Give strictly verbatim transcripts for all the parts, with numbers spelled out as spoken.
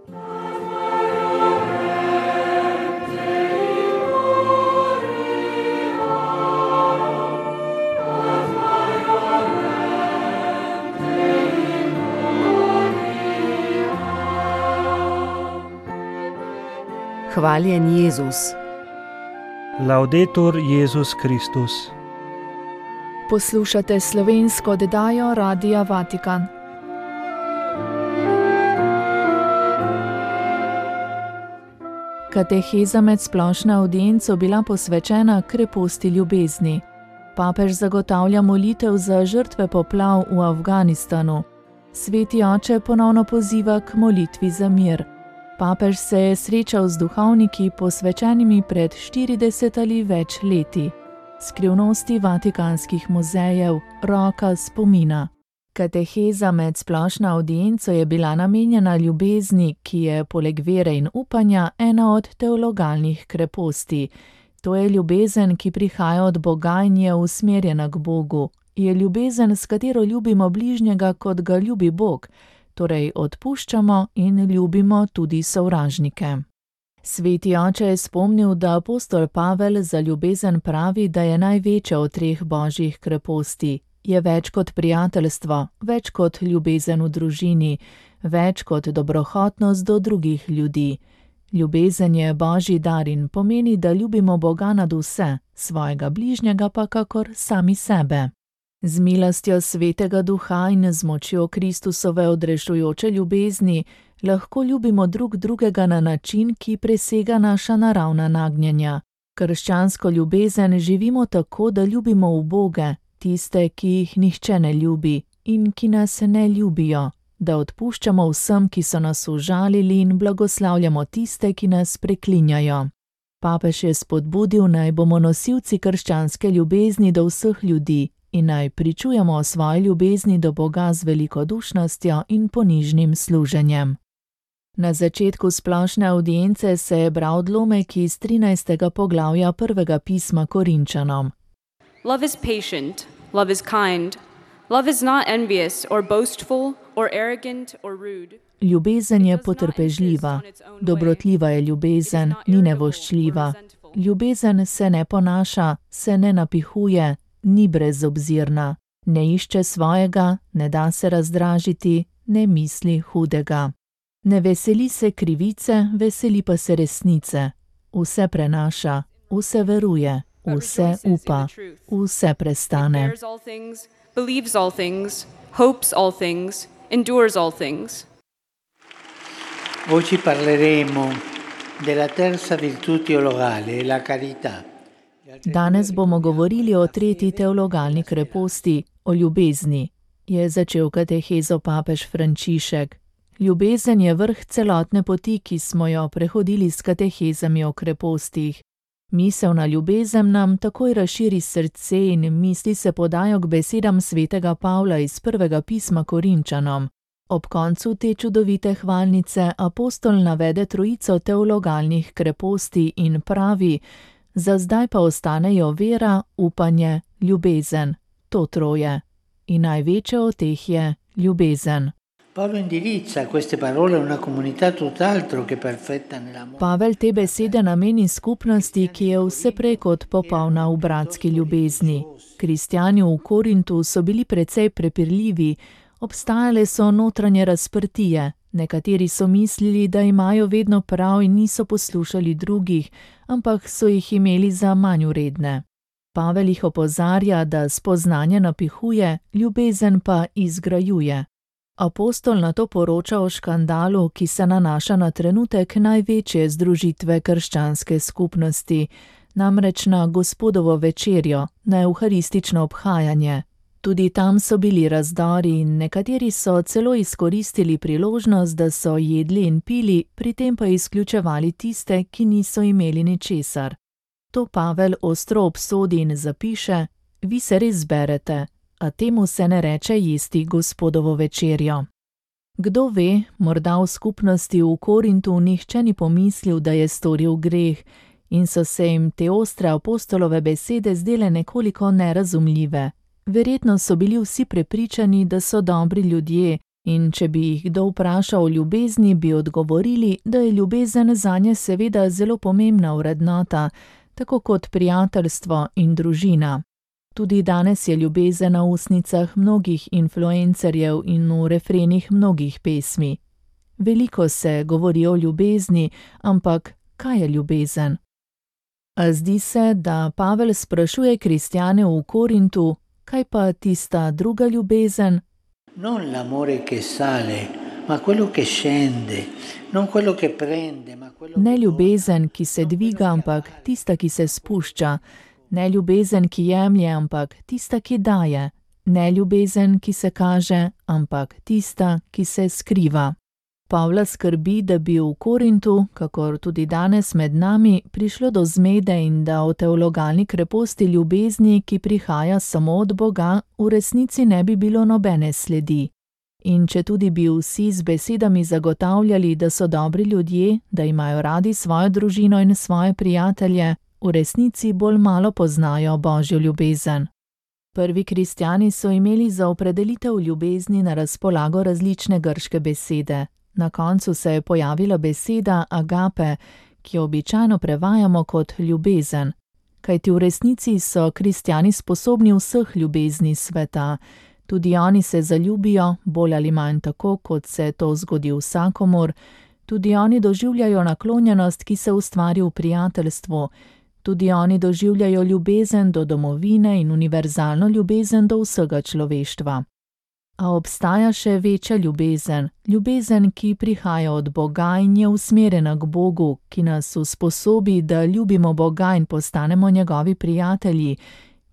Hvaljen Jezus. Laudetur Jezus Kristus. Poslušate slovensko oddajo Radia Vatikan. Kateheza med splošno avdienco bila posvečena kreposti ljubezni. Papež zagotavlja molitev za žrtve poplav v Afganistanu. Sveti oče ponovno poziva k molitvi za mir. Papež se je srečal z duhovniki, posvečenimi pred štirideset ali več leti. Skrivnosti vatikanskih muzejev, roka spomina. Kateheza med splošno avdienco je bila namenjena ljubezni, ki je poleg vere in upanja ena od teologalnih kreposti. To je ljubezen, ki prihaja od Boga in je usmerjena k Bogu. Je ljubezen, s katero ljubimo bližnjega, kot ga ljubi Bog. Torej odpuščamo in ljubimo tudi sovražnike. Sveti oče je spomnil, da apostol Pavel za ljubezen pravi, da je največja od treh božjih kreposti. Je več kot prijateljstvo, več kot ljubezen v družini, več kot dobrohotnost do drugih ljudi. Ljubezen je božji dar in pomeni, da ljubimo Boga nad vse, svojega bližnjega pa kakor sami sebe. Z milostjo Svetega Duha in z močjo Kristusove odrešujoče ljubezni lahko ljubimo drug drugega na način, ki presega naša naravna nagnjenja. Krščansko ljubezen živimo tako, da ljubimo uboge, tiste, ki jih nihče ne ljubi in ki nas ne ljubijo, da odpuščamo vsem, ki so nas užalili in blagoslavljamo tiste, ki nas preklinjajo. Papež je spodbudil, naj bomo nosilci krščanske ljubezni do vseh ljudi in naj pričujemo o svoji ljubezni do Boga z velikodušnostjo in ponižnim služenjem. Na začetku splošne avdience se je bral odlomek iz trinajstega poglavja prvega pisma Korinčanom. Love is patient, love is kind, love is not envious or boastful or arrogant or rude. Ljubezen je potrpežljiva, dobrotljiva je ljubezen, ni nevoščljiva. Ljubezen se ne ponaša, se ne napihuje, ni brezobzirna, ne išče svojega, ne da se razdražiti, ne misli hudega. Ne veseli se krivice, veseli pa se resnice. Vse prenaša, vse veruje, vse upa, vse prestane. Believes all things, hopes all things, endures all things. Oggi parleremo della terza virtù teologale, la carità. Danes bomo govorili o tretji teologalni kreposti, o ljubezni, je začel katehezo papež Frančišek. Ljubezen je vrh celotne poti, ki smo jo prehodili s katehezami o krepostih. Misel na ljubezen nam takoj razširi srce in misli se podajo k besedam svetega Pavla iz prvega pisma Korinčanom. Ob koncu te čudovite hvalnice apostol navede trojico teologalnih kreposti in pravi: za zdaj pa ostanejo vera, upanje, ljubezen, to troje. In največja od teh je ljubezen. Pavel te besede nameni skupnosti, ki je vse prej kot popolna v bratski ljubezni. Kristjani v Korintu so bili precej prepirljivi, obstajale so notranje razprtije. Nekateri so mislili, da imajo vedno prav in niso poslušali drugih, ampak so jih imeli za manj vredne. Pavel jih opozarja, da spoznanje napihuje, ljubezen pa izgrajuje. Apostol nato poroča o škandalu, ki se nanaša na trenutek največje združitve krščanske skupnosti, namreč na Gospodovo večerjo, na evharistično obhajanje. Tudi tam so bili razdori in nekateri so celo izkoristili priložnost, da so jedli in pili, pri tem pa izključevali tiste, ki niso imeli ničesar. To Pavel ostro obsodi in zapiše: vi se res berete, a temu se ne reče jesti Gospodovo večerjo. Kdo ve, morda v skupnosti v Korintu nihče ni pomislil, da je storil greh, in so se jim te ostre apostolove besede zdele nekoliko nerazumljive. Verjetno so bili vsi prepričani, da so dobri ljudje In če bi jih kdo vprašal o ljubezni, bi odgovorili, da je ljubezen zanje seveda zelo pomembna vrednota, tako kot prijateljstvo in družina. Tudi danes je ljubezen na ustnicah mnogih influencerjev in v refrenih mnogih pesmi. Veliko se govori o ljubezni, ampak kaj je ljubezen? A zdi se, da Pavel sprašuje kristjane v Korintu, kaj pa tista druga ljubezen? Non l'amore che sale, ma quello che scende, non quello che prende, ma quello Ne che ljubezen, ki se dviga, ampak tista, ki se spušča. Ne ljubezen, ki jemlje, ampak tista, ki daje. Ne ljubezen, ki se kaže, ampak tista, ki se skriva. Pavla skrbi, da bi v Korintu, kakor tudi danes med nami, prišlo do zmede in da o teologalni kreposti ljubezni, ki prihaja samo od Boga, v resnici ne bi bilo nobene sledi. In če tudi bi vsi z besedami zagotavljali, da so dobri ljudje, da imajo radi svojo družino in svoje prijatelje, v resnici bolj malo poznajo Božjo ljubezen. Prvi kristjani so imeli za opredelitev ljubezni na razpolago različne grške besede. Na koncu se je pojavila beseda agape, ki jo običajno prevajamo kot ljubezen. Kajti v resnici so kristjani sposobni vseh ljubezni sveta. Tudi oni se zaljubijo, bolj ali manj tako, kot se to zgodi vsakomur. Tudi oni doživljajo naklonjenost, ki se ustvari v prijateljstvu. Tudi oni doživljajo ljubezen do domovine in univerzalno ljubezen do vsega človeštva. A obstaja še večja ljubezen, ljubezen, ki prihaja od Boga in je usmerjena k Bogu, ki nas usposobi, da ljubimo Boga in postanemo njegovi prijatelji,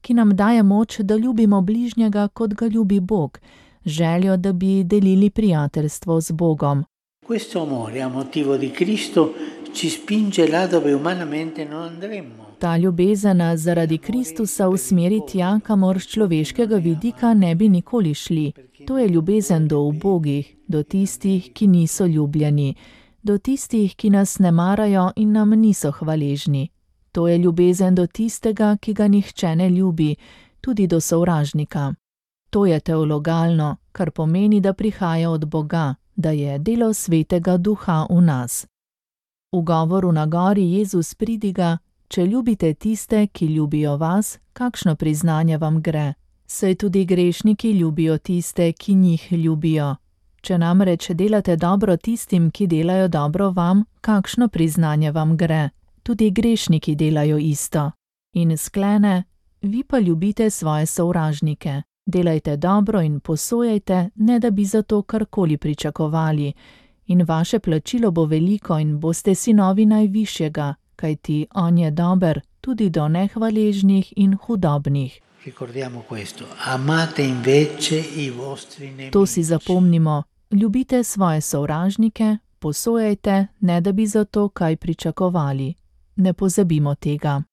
ki nam daje moč, da ljubimo bližnjega, kot ga ljubi Bog, željo, da bi delili prijateljstvo z Bogom. questo amore a motivo di Cristo ci spinge là dove umanamente non andremmo. Ta ljubezen zaradi Kristusa usmeri tja, kamor s človeškega vidika ne bi nikoli šli. To je ljubezen do ubogih, do tistih, ki niso ljubljeni, do tistih, ki nas ne marajo in nam niso hvaležni. To je ljubezen do tistega, ki ga nihče ne ljubi, tudi do sovražnika. To je teologalno, kar pomeni, da prihaja od Boga, da je delo Svetega Duha v nas. V govoru na gori Jezus pridiga: če ljubite tiste, ki ljubijo vas, kakšno priznanje vam gre? Saj tudi grešniki ljubijo tiste, ki njih ljubijo. Če namreč delate dobro tistim, ki delajo dobro vam, kakšno priznanje vam gre? Tudi grešniki delajo isto. In sklene: vi pa ljubite svoje sovražnike. Delajte dobro in posojajte, ne da bi za to karkoli pričakovali. In vaše plačilo bo veliko in boste sinovi najvišjega, kajti on je dober tudi do nehvaležnih in hudobnih. To si zapomnimo. Ljubite svoje sovražnike, posojajte, ne da bi za to kaj pričakovali. Ne pozabimo tega.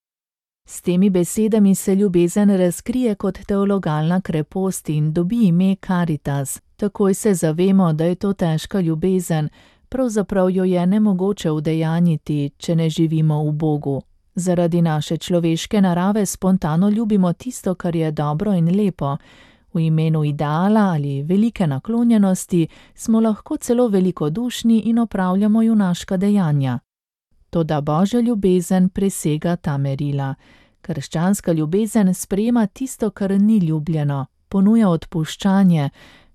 S temi besedami se ljubezen razkrije kot teologalna krepost in dobi ime Caritas. Takoj se zavemo, da je to težka ljubezen, pravzaprav jo je nemogoče udejanjiti, če ne živimo v Bogu. Zaradi naše človeške narave spontano ljubimo tisto, kar je dobro in lepo. V imenu ideala ali velike naklonjenosti smo lahko celo velikodušni in opravljamo junaška dejanja. Toda Božja ljubezen presega ta merila. Krščanska ljubezen sprejema tisto, kar ni ljubljeno, ponuja odpuščanje.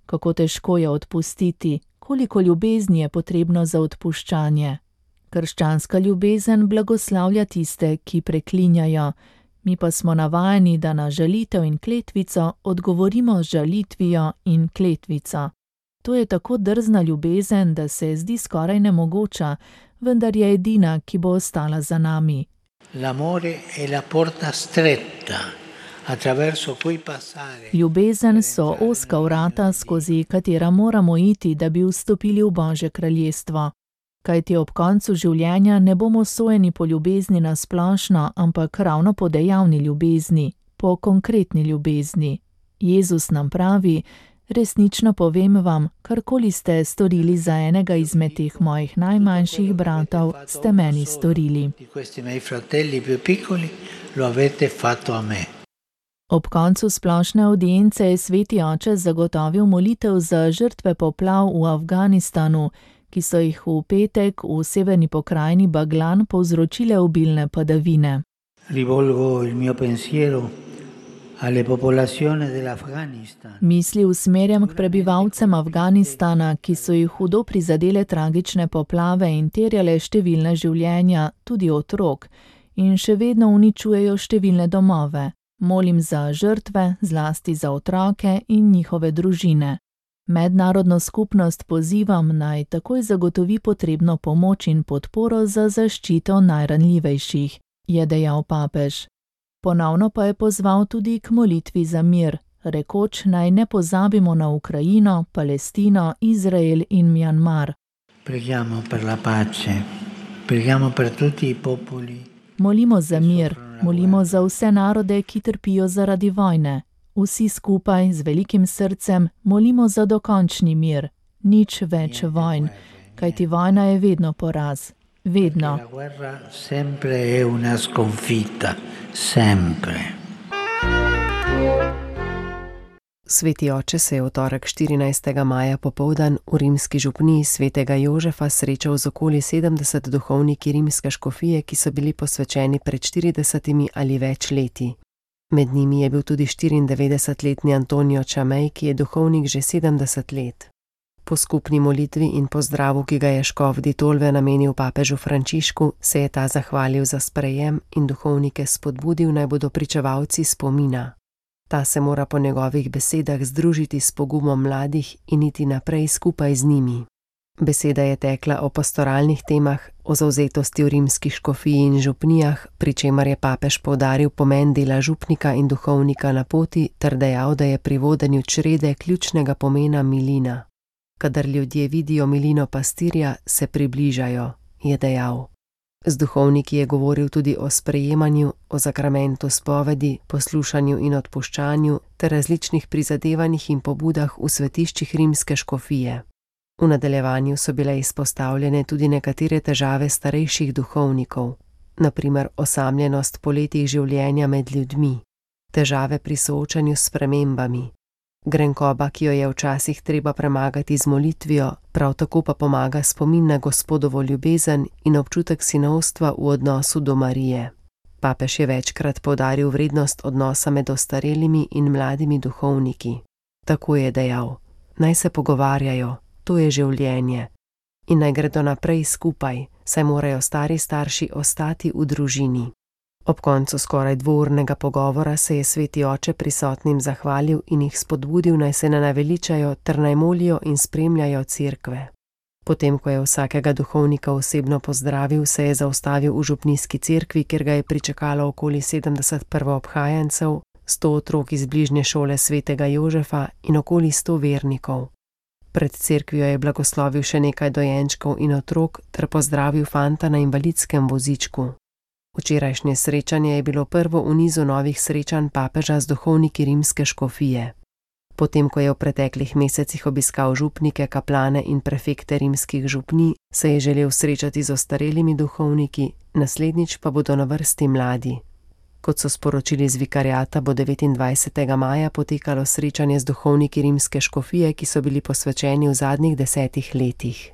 Kako težko je odpustiti, koliko ljubezni je potrebno za odpuščanje. Krščanska ljubezen blagoslavlja tiste, ki preklinjajo. Mi pa smo navajeni, da na žalitev in kletvico odgovorimo z žalitvijo in kletvico. To je tako drzna ljubezen, da se zdi skoraj nemogoča, vendar je edina, ki bo ostala za nami. L'amore è la porta stretta, attraverso cui passare. Ljubezen so ozka vrata, skozi katera moramo iti, da bi vstopili v Božje kraljestvo. Kajti ob koncu življenja ne bomo sojeni po ljubezni na splošno, ampak ravno po dejavni ljubezni, po konkretni ljubezni. Jezus nam pravi: resnično povem vam, karkoli ste storili za enega izmed teh mojih najmanjših bratov, ste meni storili. Ob koncu splošne avdience je sveti oče zagotovil molitev za žrtve poplav v Afganistanu, ki so jih v petek v severni pokrajini Baglan povzročile obilne padavine. Rivolgo il mio pensiero alle popolazioni dell'Afghanistan. Misli usmerjam k prebivalcem Afganistana, ki so jih hudo prizadele tragične poplave in terjale številna življenja, tudi otrok, in še vedno uničujejo številne domove. Molim za žrtve, zlasti za otroke in njihove družine. Mednarodno skupnost pozivam, naj takoj zagotovi potrebno pomoč in podporo za zaščito najranljivejših, je dejal papež. Ponovno pa je pozval tudi k molitvi za mir, rekoč, naj ne pozabimo na Ukrajino, Palestino, Izrael in Mjanmar. Preghiamo per la pace, preghiamo per tutti i popoli. Molimo za mir, molimo za vse narode, ki trpijo zaradi vojne. Vsi skupaj z velikim srcem molimo za dokončni mir, nič več vojn, kajti vojna je vedno poraz. Vedno. La guerra sempre è una sconfitta, sempre. Sveti oče se je v torek štirinajstega maja popoldan v rimski župniji svetega Jožefa srečal z okoli sedemdeset duhovniki rimske škofije, ki so bili posvečeni pred štiridesetimi ali več leti. Med njimi je bil tudi štiriindevetdesetletni Antonio Čamej, ki je duhovnik že sedemdeset let. Po skupni molitvi in pozdravu, ki ga je škof di Tolve namenil papežu Frančišku, se je ta zahvalil za sprejem in duhovnike spodbudil, naj bodo pričevalci spomina. Ta se mora po njegovih besedah združiti s pogumom mladih in iti naprej skupaj z njimi. Beseda je tekla o pastoralnih temah, o zavzetosti v rimski škofiji in župnijah, pri čemer je papež poudaril pomen dela župnika in duhovnika na poti ter dejal, da je pri vodenju črede ključnega pomena milina. Kadar ljudje vidijo milino pastirja, se približajo, je dejal. Z duhovniki je govoril tudi o sprejemanju, o zakramentu spovedi, poslušanju in odpuščanju ter različnih prizadevanjih in pobudah v svetiščih rimske škofije. V nadaljevanju so bile izpostavljene tudi nekatere težave starejših duhovnikov, na primer osamljenost po letih življenja med ljudmi, težave pri soočanju s spremembami, grenkoba, ki jo je včasih treba premagati z molitvijo, prav tako pa pomaga spomin na Gospodovo ljubezen in občutek sinovstva v odnosu do Marije. Papež je večkrat poudaril vrednost odnosa med ostarelimi in mladimi duhovniki. Tako je dejal: naj se pogovarjajo, to je življenje, in naj gredo naprej skupaj, saj morajo stari starši ostati v družini. Ob koncu skoraj dvournega pogovora se je sveti oče prisotnim zahvalil in jih spodbudil, naj se ne naveličajo ter naj molijo in spremljajo cerkve. Potem, ko je vsakega duhovnika osebno pozdravil, se je zaustavil v župnijski cerkvi, kjer ga je pričakalo okoli sedemdeset prvoobhajencev, sto otrok iz bližnje šole svetega Jožefa in okoli sto vernikov. Pred cerkvijo je blagoslovil še nekaj dojenčkov in otrok ter pozdravil fanta na invalidskem vozičku. Včerajšnje srečanje je bilo prvo v nizu novih srečanj papeža z duhovniki rimske škofije. Potem, ko je v preteklih mesecih obiskal župnike, kaplane in prefekte rimskih župnij, se je želel srečati z ostarelimi duhovniki, naslednjič pa bodo na vrsti mladi. Kot so sporočili z vikariata, bo devetindvajsetega maja potekalo srečanje z duhovniki rimske škofije, ki so bili posvečeni v zadnjih desetih letih.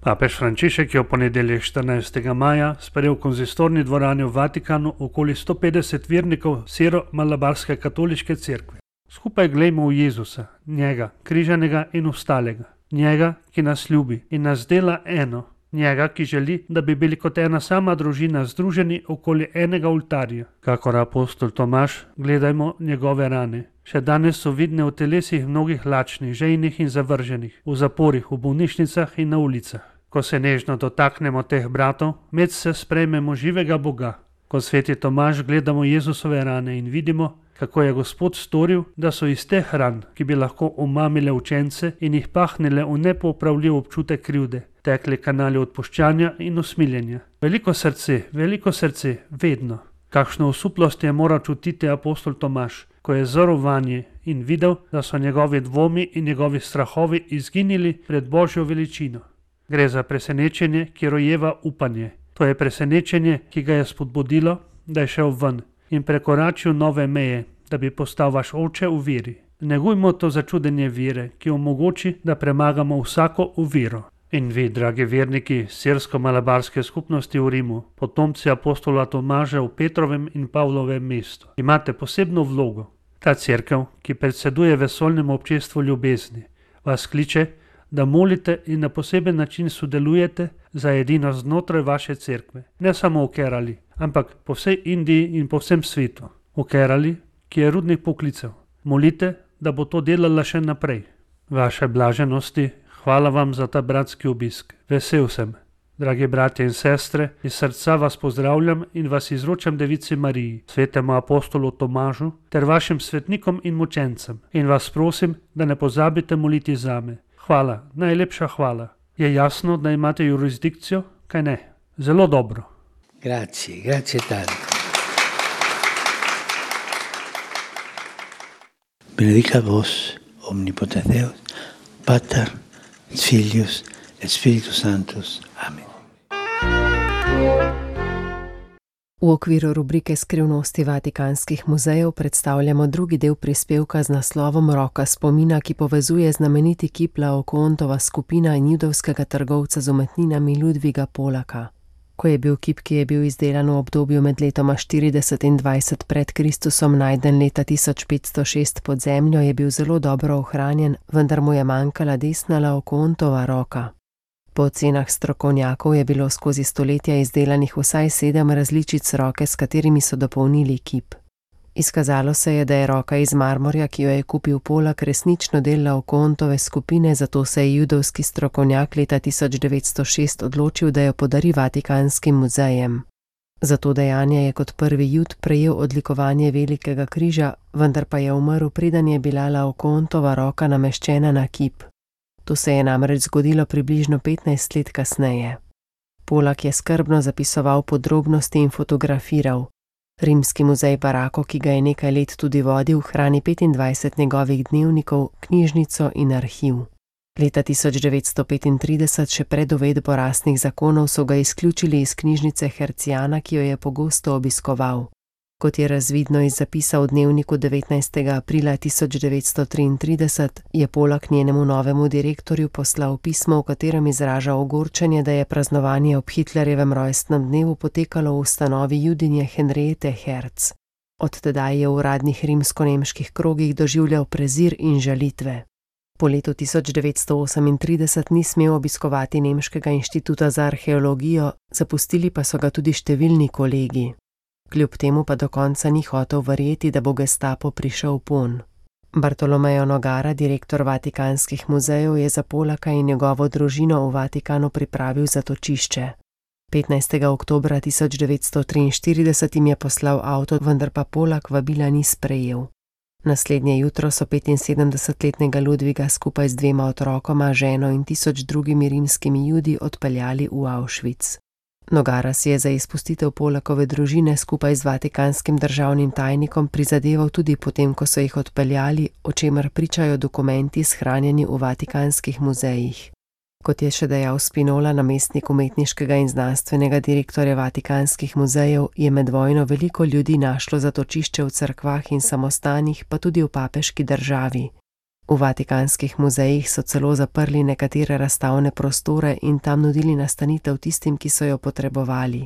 Papež Frančišek je v ponedeljek štirinajstega maja sprejel v konzistorni dvorani v Vatikanu okoli sto petdeset vernikov siro-malabarske katoliške cerkve. Skupaj glejmo v Jezusa, njega, križanega in vstalega, njega, ki nas ljubi in nas dela eno, njega, ki želi, da bi bili kot ena sama družina združeni okoli enega oltarja. Kakor apostol Tomaž, gledajmo njegove rane. Še danes so vidne v telesih mnogih lačnih, žejnih in zavrženih, v zaporih, v bolnišnicah in na ulicah. Ko se nežno dotaknemo teh bratov, med se sprejmemo živega Boga. Ko sveti Tomaž gledamo Jezusove rane in vidimo, kako je Gospod storil, da so iz teh ran, ki bi lahko omamile učence in jih pahnile v nepopravljiv občutek krivde, tekli kanali odpuščanja in usmiljenja. Veliko srce, veliko srce, vedno. Kakšno osuplost je moral čutiti apostol Tomaž, ko je zrl vanje in videl, da so njegovi dvomi in njegovi strahovi izginili pred Božjo veličino. Gre za presenečenje, ki rojeva upanje. To je presenečenje, ki ga je spodbudilo, da je šel ven in prekoračil nove meje, da bi postal vaš oče v veri. Negujmo to začudenje vere, ki omogoči, da premagamo vsako oviro. In vi, dragi verniki sirsko-malabarske skupnosti v Rimu, potomci apostola Tomaža v Petrovem in Pavlovem mestu, imate posebno vlogo. Ta cerkev, ki predseduje vesoljnemu občestvu ljubezni, vas kliče, da molite in na poseben način sodelujete za edino znotraj vaše cerkve. Ne samo v Kerali, ampak po vsej Indiji in po vsem svetu. V Kerali, ki je rudnik poklicev. Molite, da bo to delala še naprej. Vaše blaženosti, hvala vam za ta bratski obisk. Vesel sem. Dragi bratje in sestre, iz srca vas pozdravljam in vas izročam Devici Mariji, svetemu apostolu Tomažu, ter vašim svetnikom in mučencem. In vas prosim, da ne pozabite moliti zame. Hvala, najlepša hvala. Je jasno, da imate jurisdikcijo, kaj ne? Zelo dobro. Grazie, grazie tanto. Benedica vos, omnipotens Deus, Pater, Filius et Spiritus Sanctus. Amen. V okviru rubrike Skrivnosti vatikanskih muzejev predstavljamo drugi del prispevka z naslovom Roka spomina, ki povezuje znameniti kip Laokontova skupina in judovskega trgovca z umetninami Ludviga Polaka. Ko je bil kip, ki je bil izdelan v obdobju med letoma štirideset in dvajset pred Kristusom, najden leta tisoč petsto šest pod zemljo, je bil zelo dobro ohranjen, vendar mu je manjkala desna Laokontova roka. Po ocenah strokovnjakov je bilo skozi stoletja izdelanih vsaj sedem različic roke, s katerimi so dopolnili kip. Izkazalo se je, da je roka iz marmorja, ki jo je kupil Polak, resnično del Laokontove skupine, zato se je judovski strokovnjak leta tisoč devetsto šest odločil, da jo podari Vatikanskim muzejem. Za to dejanje je kot prvi Jud prejel odlikovanje Velikega križa, vendar pa je umrl, preden je bila Laokontova roka nameščena na kip. To se je namreč zgodilo približno petnajst let kasneje. Polak je skrbno zapisoval podrobnosti in fotografiral. Rimski muzej Barako, ki ga je nekaj let tudi vodil, hrani petindvajset njegovih dnevnikov, knjižnico in arhiv. Leta tisoč devetsto petintrideset, še pred uvedbo rasnih zakonov, so ga izključili iz knjižnice Hercijana, ki jo je pogosto obiskoval. Kot je razvidno iz zapisa v dnevniku devetnajstega aprila tisoč devetsto triintrideset, je Polak njenemu novemu direktorju poslal pismo, v katerem izraža ogorčenje, da je praznovanje ob Hitlerjevem rojstnem dnevu potekalo v ustanovi Judinje Henriete Herz. Od tedaj je v uradnih rimsko-nemških krogih doživljal prezir in žalitve. Po letu tisoč devetsto osemintrideset ni smel obiskovati Nemškega inštituta za arheologijo, zapustili pa so ga tudi številni kolegi. Kljub temu pa do konca ni hotel verjeti, da bo Gestapo prišel ponj. Bartolomeo Nogara, direktor Vatikanskih muzejev, je za Polaka in njegovo družino v Vatikanu pripravil zatočišče. petnajstega oktobra tisoč devetsto triinštirideset jim je poslal avto, vendar pa Polak vabila ni sprejel. Naslednje jutro so petinsedemdesetletnega Ludviga skupaj z dvema otrokoma, ženo in tisoč drugimi rimskimi Judi odpeljali v Auschwitz. Nogara si je za izpustitev Polakove družine skupaj z vatikanskim državnim tajnikom prizadeval tudi potem, ko so jih odpeljali, o čemer pričajo dokumenti shranjeni v Vatikanskih muzejih. Kot je še dejal Spinola, namestnik umetniškega in znanstvenega direktorja Vatikanskih muzejev, je med vojno veliko ljudi našlo zatočišče v cerkvah in samostanih, pa tudi v papeški državi. V Vatikanskih muzejih so celo zaprli nekatere razstavne prostore in tam nudili nastanitev tistim, ki so jo potrebovali.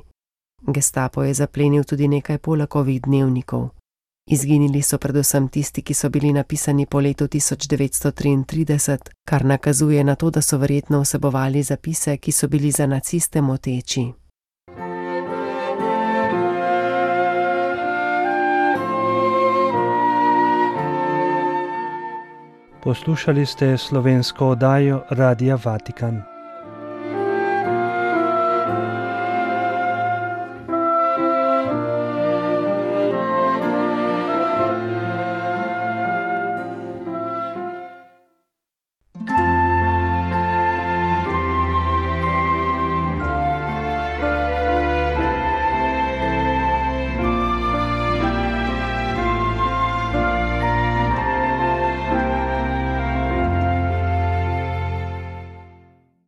Gestapo je zaplenil tudi nekaj Polakovih dnevnikov. Izginili so predvsem tisti, ki so bili napisani po letu tisoč devetsto triintrideset, kar nakazuje na to, da so verjetno vsebovali zapise, ki so bili za naciste moteči. Poslušali ste slovensko oddajo Radia Vatikan.